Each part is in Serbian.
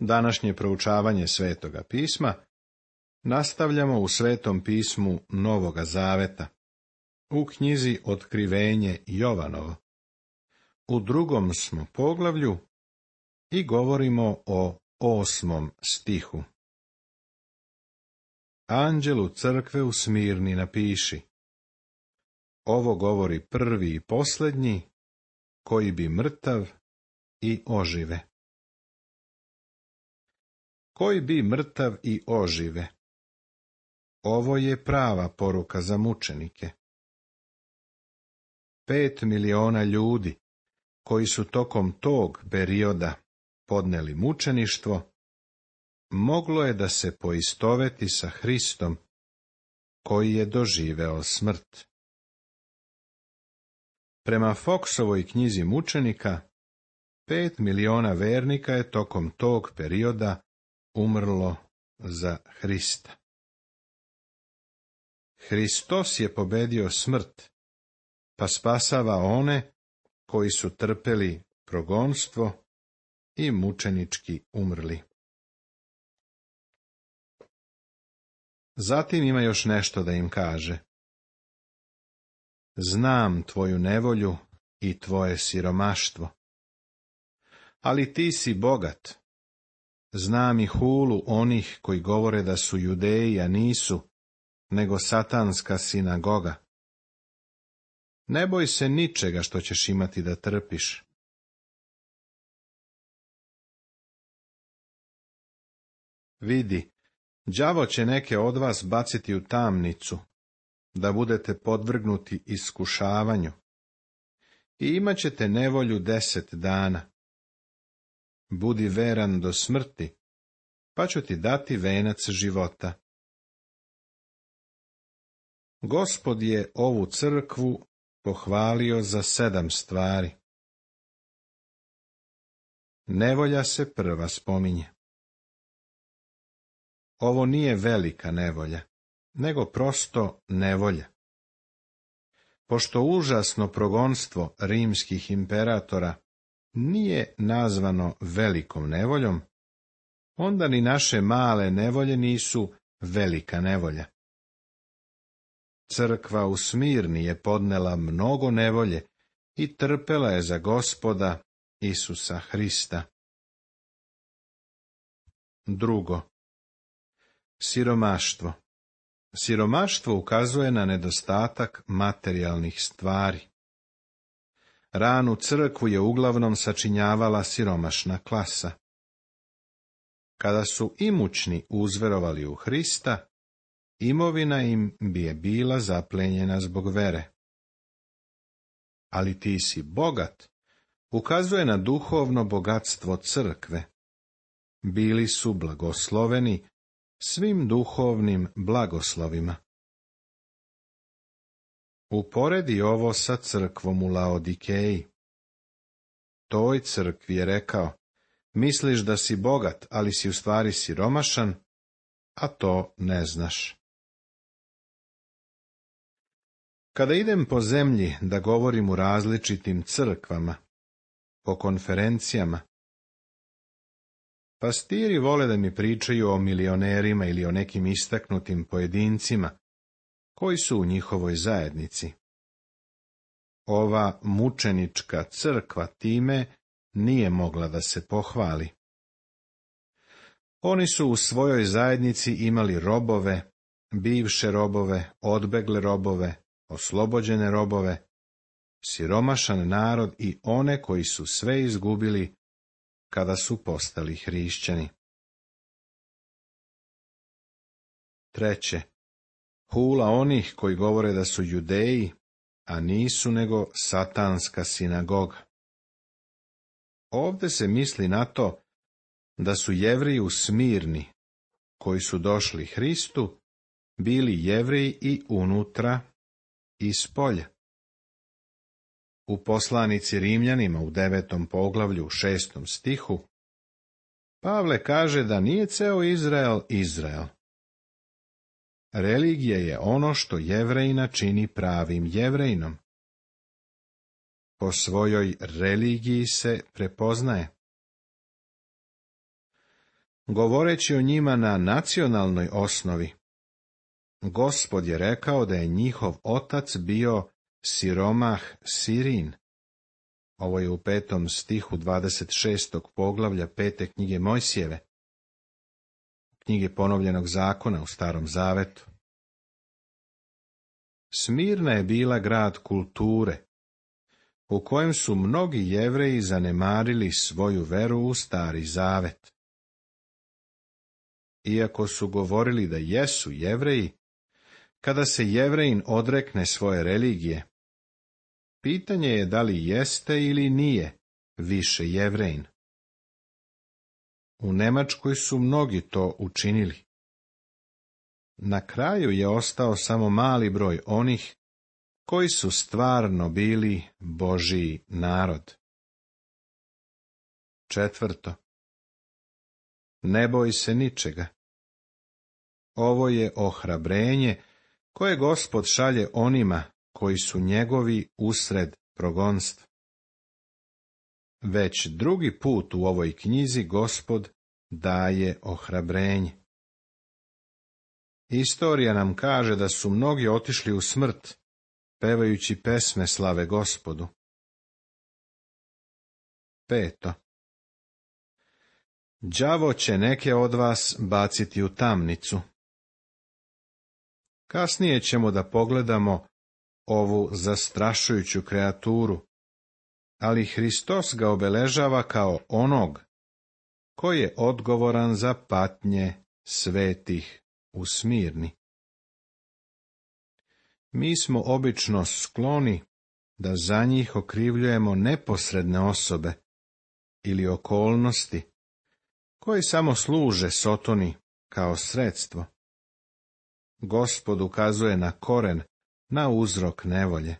Današnje proučavanje Svetoga pisma nastavljamo u Svetom pismu Novoga Zaveta, u knjizi Otkrivenje Jovanovo. U 2. smo poglavlju i govorimo o 8. stihu. Anđelu crkve u Smirni napiši: ovo govori prvi i posljednji, koji bi mrtav i ožive. Koji bi mrtav i ožive. Ovo je prava poruka za mučenike. 5 miliona ljudi, koji su tokom tog perioda podneli mučeništvo, moglo je da se poistoveti sa Hristom, koji je doživeo smrt. Prema Foxovoj knjizi mučenika, 5 miliona vernika je tokom tog perioda umrlo za Hrista. Hristos je pobedio smrt, pa spasava one koji su trpeli progonstvo i mučenički umrli. Zatim ima još nešto da im kaže. Znam tvoju nevolju i tvoje siromaštvo, ali ti si bogat. Znam i hulu onih koji govore da su Judeji, a nisu, nego satanska sinagoga. Ne boj se ničega što ćeš imati da trpiš. Vidi, đavo će neke od vas baciti u tamnicu, da budete podvrgnuti iskušavanju, i imat ćete nevolju 10 dana. Budi veran do smrti, pa ću ti dati venac života. Gospod je ovu crkvu pohvalio za 7 stvari. Nevolja se prva spominje. Ovo nije velika nevolja, nego prosto nevolja. Pošto užasno progonstvo rimskih imperatora nije nazvano velikom nevoljom, onda ni naše male nevolje nisu velika nevolja. Crkva u Smirni je podnela mnogo nevolje i trpela je za Gospoda Isusa Hrista. 2. Siromaštvo. Siromaštvo ukazuje na nedostatak materijalnih stvari. Ranu crkvu je uglavnom sačinjavala siromašna klasa. Kada su imućni uzverovali u Hrista, imovina im bi je bila zaplenjena zbog vere. Ali ti si bogat ukazuje na duhovno bogatstvo crkve. Bili su blagosloveni svim duhovnim blagoslovima. Uporedi ovo sa crkvom u Laodikeji. Toj crkvi je rekao: misliš da si bogat, ali si u stvari siromašan, a to ne znaš. Kada idem po zemlji da govorim u različitim crkvama, po konferencijama, pastiri vole da mi pričaju o milionerima ili o nekim istaknutim pojedincima koji su u njihovoj zajednici. Ova mučenička crkva time nije mogla da se pohvali. Oni su u svojoj zajednici imali robove, bivše robove, odbegle robove, oslobođene robove, siromašan narod i one koji su sve izgubili kada su postali hrišćani. 3. Hula onih koji govore da su Judeji, a nisu nego satanska sinagoga. Ovde se misli na to da su Jevreji u Smirni, koji su došli Hristu, bili Jevreji i unutra i spolja. U poslanici Rimljanima u 9. poglavlju u 6. stihu Pavle kaže da nije ceo Izrael Izrael. Religija je ono što Jevrejina čini pravim Jevrejinom. Po svojoj religiji se prepoznaje. govoreći o njima na nacionalnoj osnovi. Gospod je rekao da je njihov otac bio siromah Sirin. Ovo je u 5. stihu 26. poglavlja 5. knjige Mojsijeve, knjige ponovljenog zakona u Starom zavetu. Smirna je bila grad kulture, u kojem su mnogi Jevreji zanemarili svoju veru u Stari zavet. Iako su govorili da jesu Jevreji, kada se Jevrejin odrekne svoje religije, pitanje je da li jeste ili nije više Jevrejin. U Nemačkoj su mnogi to učinili. Na kraju je ostao samo mali broj onih koji su stvarno bili Božji narod. 4. Ne boj se ničega. Ovo je ohrabrenje koje Gospod šalje onima koji su njegovi usred progonstva. Već drugi put u ovoj knjizi Gospod daje ohrabrenje. Istorija nam kaže da su mnogi otišli u smrt, pevajući pesme slave Gospodu. 5. Đavo će neke od vas baciti u tamnicu. Kasnije ćemo da pogledamo ovu zastrašujuću kreaturu, ali Hristos ga obeležava kao onog koji je odgovoran za patnje svetih u Smirni. Mi smo obično skloni da za njih okrivljujemo neposredne osobe ili okolnosti koje samo služe Sotoni kao sredstvo. Gospod ukazuje na koren, na uzrok nevolje.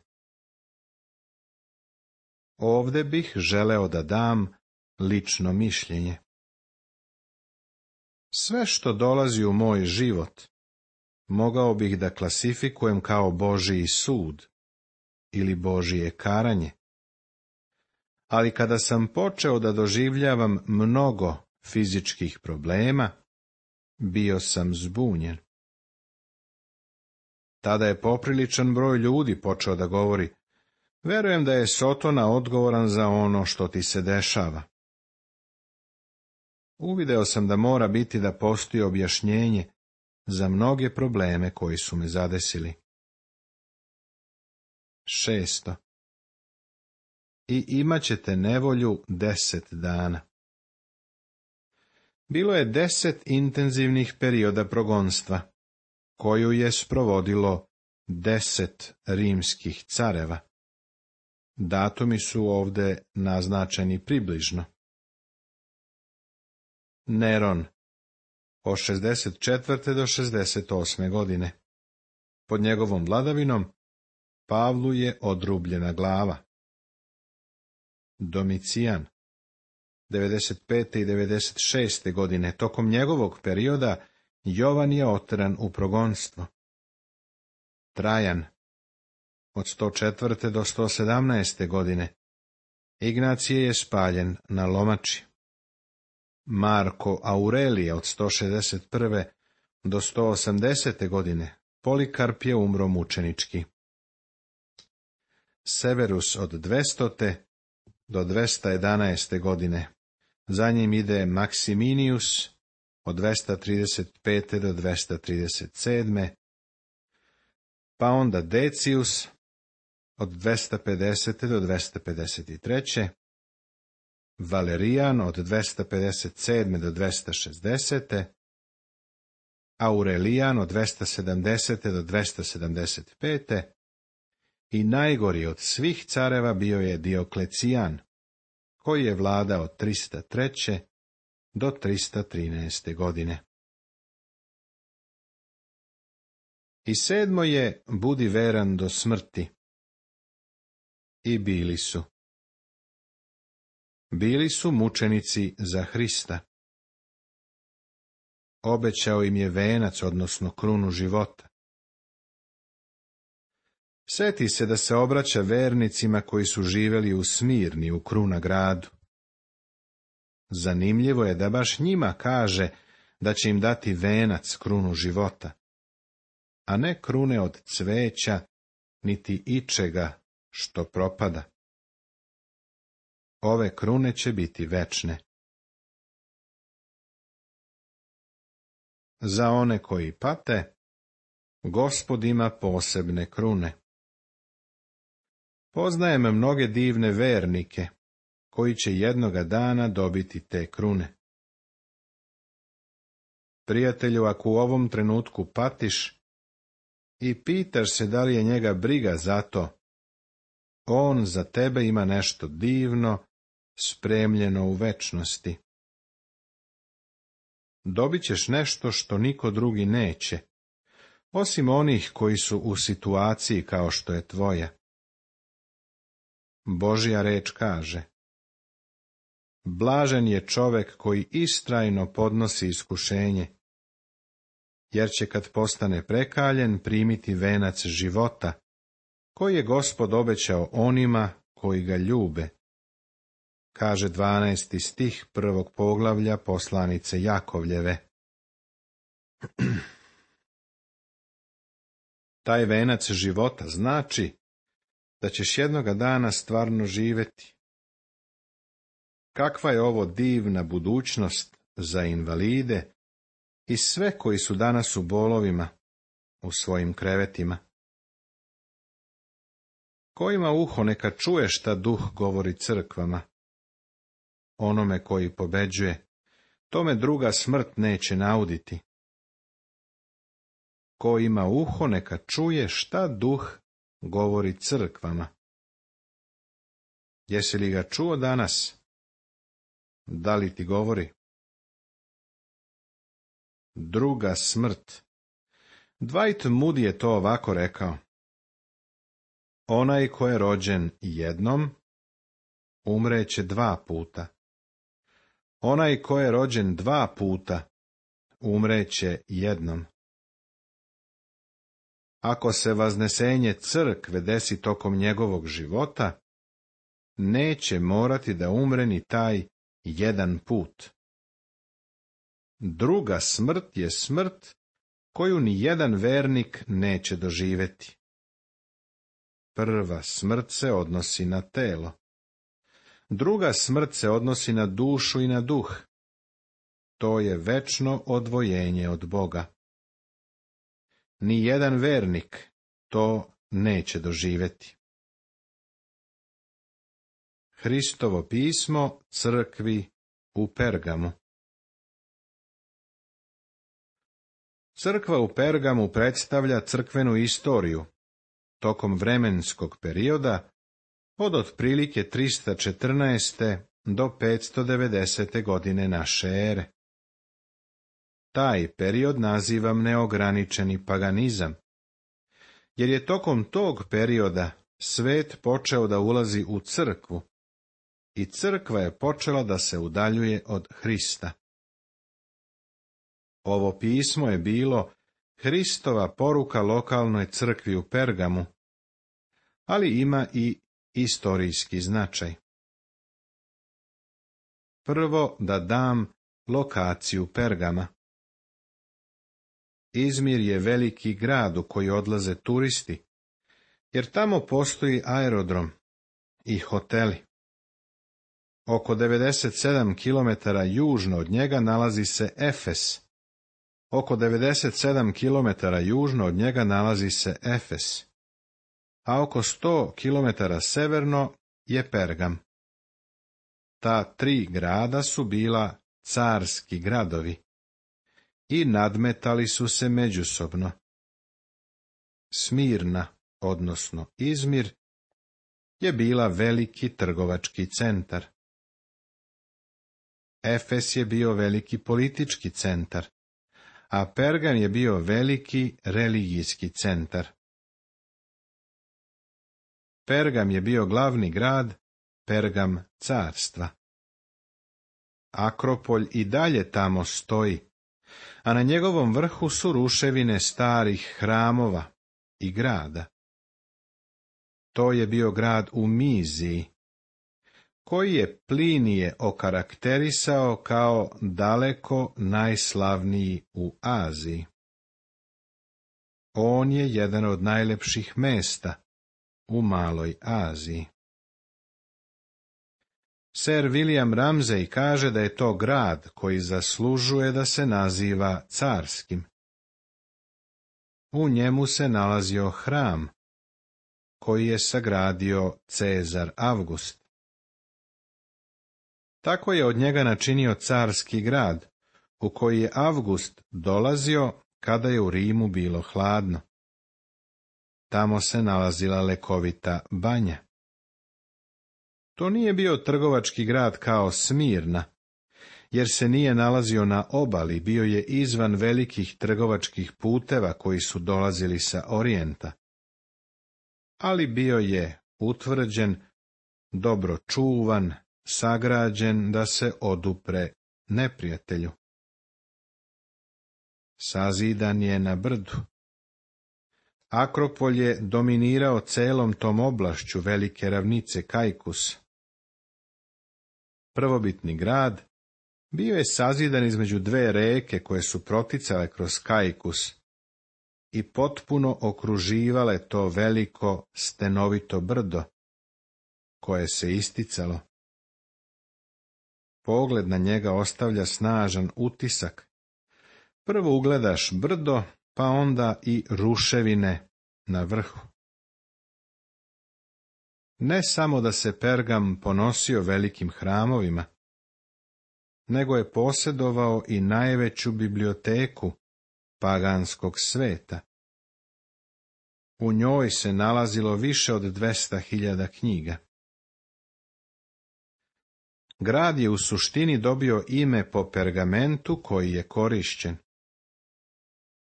Ovde bih želeo da dam lično mišljenje. Sve što dolazi u moj život, mogao bih da klasifikujem kao Božji sud ili Božje karanje. Ali kada sam počeo da doživljavam mnogo fizičkih problema, bio sam zbunjen. Tada je popriličan broj ljudi počeo da govori: verujem da je Sotona odgovoran za ono što ti se dešava. Uvideo sam da mora biti da postoji objašnjenje za mnoge probleme koji su me zadesili. 6. I imat ćete nevolju 10 dana. Bilo je 10 intenzivnih perioda progonstva, koju je sprovodilo 10 rimskih careva. Datumi su ovde naznačeni približno. Neron, od 64. do 68. godine. Pod njegovom vladavinom Pavlu je odrubljena glava. Domicijan, 95. i 96. godine. Tokom njegovog perioda Jovan je oteran u progonstvo. Trajan, od 104. do 117. godine. Ignacije je spaljen na lomači. Marko Aurelije, od 161. do 180. godine. Polikarp je umro mučenički. Severus, od 200. do 211. godine. Za njim ide Maksiminius, od 235. do 237. Pa onda Decius, od 250. do 253. Valerijan, od 257. do 260. Aurelijan, od 270. do 275. I najgori od svih careva bio je Dioklecijan, koji je vladao od 303. do 313. godine. I 7. je budi veran do smrti. I bili su. Bili su mučenici za Hrista. Obećao im je venac, odnosno krunu života. Seti se da se obraća vernicima koji su živeli u Smirni, u Kruna gradu. zanimljivo je da baš njima kaže da će im dati venac, krunu života, a ne krune od cveća, niti ičega što propada. Ove krune će biti večne. Za one koji pate, Gospod ima posebne krune. Poznajem mnoge divne vernike, koji će jednoga dana dobiti te krune. Prijatelju, ako u ovom trenutku patiš i pitaš se da li je njega briga za to, on za tebe ima nešto divno, spremljeno u večnosti. Dobit ćeš nešto što niko drugi neće, osim onih koji su u situaciji kao što je tvoja. Božja reč kaže: blažen je čovek koji istrajno podnosi iskušenje, jer će kad postane prekaljen primiti venac života, koji je Gospod obećao onima koji ga ljube. Kaže 12. stih 1. poglavlja poslanice Jakovljeve. Taj venac života znači da ćeš jednoga dana stvarno živjeti. Kakva je ovo divna budućnost za invalide i sve koji su danas u bolovima, u svojim krevetima. Ko ima uho, neka čuje šta Duh govori crkvama. Onome koji pobeđuje, tome druga smrt neće nauditi. Ko ima uho, neka čuje šta Duh govori crkvama. Jesi li ga čuo danas? Da li ti govori? Druga smrt. Dwight Moody je to ovako rekao: onaj ko je rođen jednom, umreće 2 puta. Onaj ko je rođen 2 puta, umreće jednom. Ako se vaznesenje crkve desi tokom njegovog života, neće morati da umre ni taj jedan put. Druga smrt je smrt koju ni jedan vernik neće doživjeti. Prva smrt se odnosi na telo. Druga smrt se odnosi na dušu i na duh. To je večno odvojenje od Boga. Ni jedan vernik to neće doživjeti. Hristovo pismo crkvi u Pergamu. Crkva u Pergamu predstavlja crkvenu istoriju tokom vremenskog perioda od otprilike 314. do 590. godine naše ere. Taj period nazivam neograničeni paganizam, jer je tokom tog perioda svet počeo da ulazi u crkvu i crkva je počela da se udaljuje od Hrista. Ovo pismo je bilo Hristova poruka lokalnoj crkvi u Pergamu, ali ima i istorijski značaj. Prvo da dam lokaciju Pergama. Izmir je veliki grad u koji odlaze turisti, jer tamo postoji aerodrom i hoteli. Oko 97 km južno od njega nalazi se Efes. Oko 97 km južno od njega nalazi se Efes, a oko 100 km severno je Pergam. Ta 3 grada su bila carski gradovi i nadmetali su se međusobno. Smirna, odnosno Izmir, je bila veliki trgovački centar. Efes je bio veliki politički centar, a Pergam je bio veliki religijski centar. Pergam je bio glavni grad, Pergam carstva. Akropolj i dalje tamo stoji, a na njegovom vrhu su ruševine starih hramova i grada. To je bio grad u Miziji. koji je Plinije okarakterisao kao daleko najslavniji u Aziji. On je jedan od najlepših mesta u Maloj Aziji. Sir William Ramsay kaže da je to grad koji zaslužuje da se naziva carskim. U njemu se nalazio hram, koji je sagradio Cezar Avgust. Tako je od njega načinio carski grad, u koji je Avgust dolazio kada je u Rimu bilo hladno. Tamo se nalazila lekovita banja. To nije bio trgovački grad kao Smirna, jer se nije nalazio na obali, bio je izvan velikih trgovačkih puteva koji su dolazili sa orijenta. Ali bio je utvrđen, dobro čuvan, sagrađen da se odupre neprijatelju. Sazidan je na brdu. Akropolj je dominirao celom tom oblašću velike ravnice Kaikus. Prvobitni grad bio je sazidan između dve reke koje su proticale kroz Kaikus i potpuno okruživale to veliko stenovito brdo, koje se isticalo. Pogled na njega ostavlja snažan utisak. Prvo ugledaš brdo, pa onda i ruševine na vrhu. Ne samo da se Pergam ponosio velikim hramovima, nego je posjedovao i najveću biblioteku paganskog sveta. U njoj se nalazilo više od 200.000 knjiga. Grad je u suštini dobio ime po pergamentu koji je korišćen.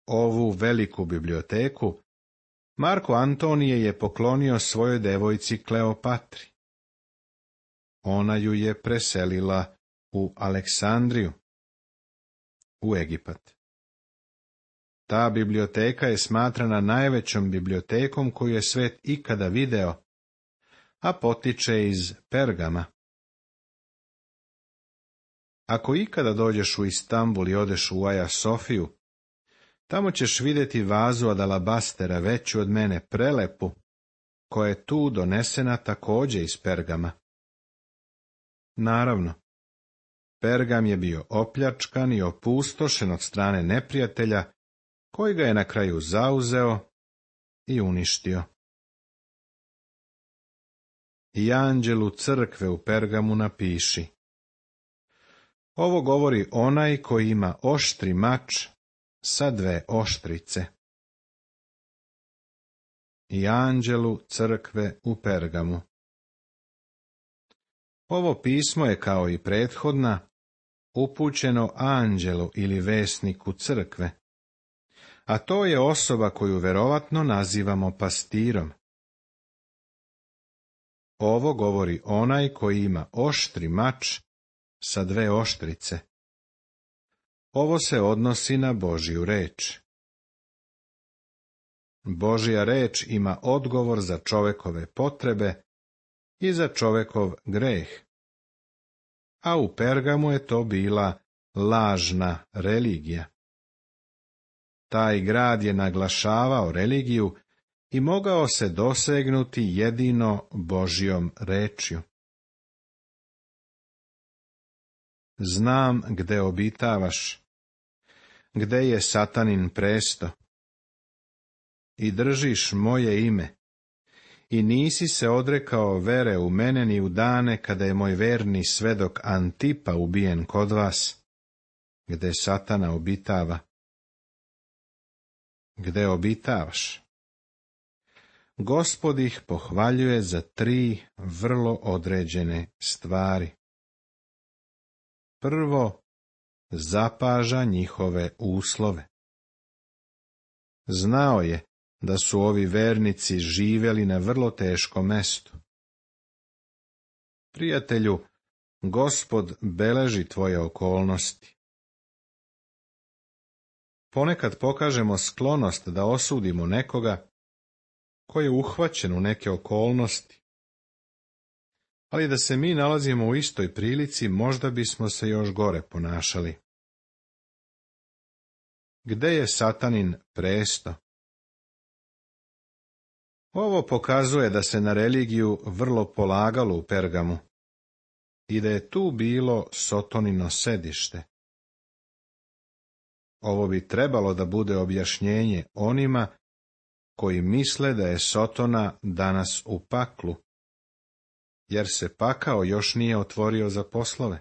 Ovu veliku biblioteku Marko Antonije je poklonio svojoj devojci Kleopatri. Ona ju je preselila u Aleksandriju, u Egipat. Ta biblioteka je smatrana najvećom bibliotekom koju je svet ikada video, a potiče iz Pergama. Ako ikada dođeš u Istanbul i odeš u Aja Sofiju, tamo ćeš vidjeti vazu od alabastera veću od mene, prelepu, koja je tu donesena također iz Pergama. Naravno, Pergam je bio opljačkan i opustošen od strane neprijatelja, koji ga je na kraju zauzeo i uništio. I anđelu crkve u Pergamu napiši: ovo govori onaj koji ima oštri mač sa dve oštrice. I anđelu crkve u Pergamu. Ovo pismo je, kao i prethodna, upućeno anđelu ili vesniku crkve, a to je osoba koju verovatno nazivamo pastirom. Ovo govori onaj koji ima oštri mač sa dve oštrice. Ovo se odnosi na Božju reč. Božja reč ima odgovor za čovekove potrebe i za čovekov greh. A u Pergamu je to bila lažna religija. Taj grad je naglašavao religiju i mogao se dosegnuti jedino Božjom rečju. Znam gde obitavaš, gde je Satanin presto, i držiš moje ime, i nisi se odrekao vere u mene ni u dane kada je moj verni svedok Antipa ubijen kod vas, gde Satana obitava. Gde obitavaš? Gospod ih pohvaljuje za 3 vrlo određene stvari. Prvo, zapaža njihove uslove. Znao je da su ovi vernici živjeli na vrlo teškom mestu. Prijatelju, Gospod beleži tvoje okolnosti. Ponekad pokažemo sklonost da osudimo nekoga ko je uhvaćen u neke okolnosti. ali da se mi nalazimo u istoj prilici, možda bismo se još gore ponašali. Gde je Satanin presto? Ovo pokazuje da se na religiju vrlo polagalo u Pergamu i da je tu bilo Sotonino sedište. Ovo bi trebalo da bude objašnjenje onima koji misle da je Sotona danas u paklu, jer se pakao još nije otvorio za poslove.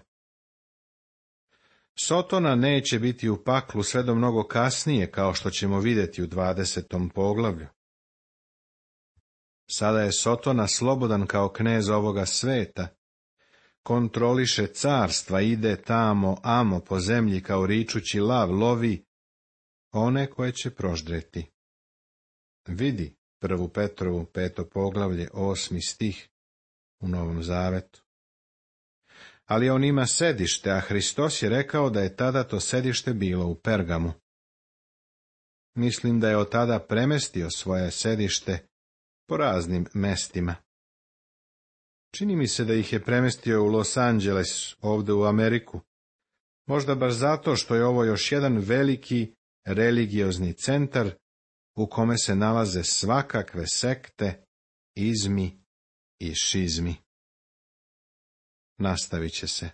Sotona neće biti u paklu sve do mnogo kasnije, kao što ćemo vidjeti u 20. poglavlju. Sada je Sotona slobodan kao knez ovoga sveta, kontroliše carstva, ide tamo, amo po zemlji kao ričući lav, lovi one koje će proždreti. Vidi 1. Petrovu 5. poglavlje 8. stih u Novom Zavetu. Ali on ima sedište, a Hristos je rekao da je tada to sedište bilo u Pergamu. Mislim da je od tada premestio svoje sedište po raznim mestima. Čini mi se da ih je premestio u Los Angeles, ovdje u Ameriku. Možda baš zato što je ovo još jedan veliki religiozni centar u kome se nalaze svakakve sekte, izmi i šizmi. Nastavit će se.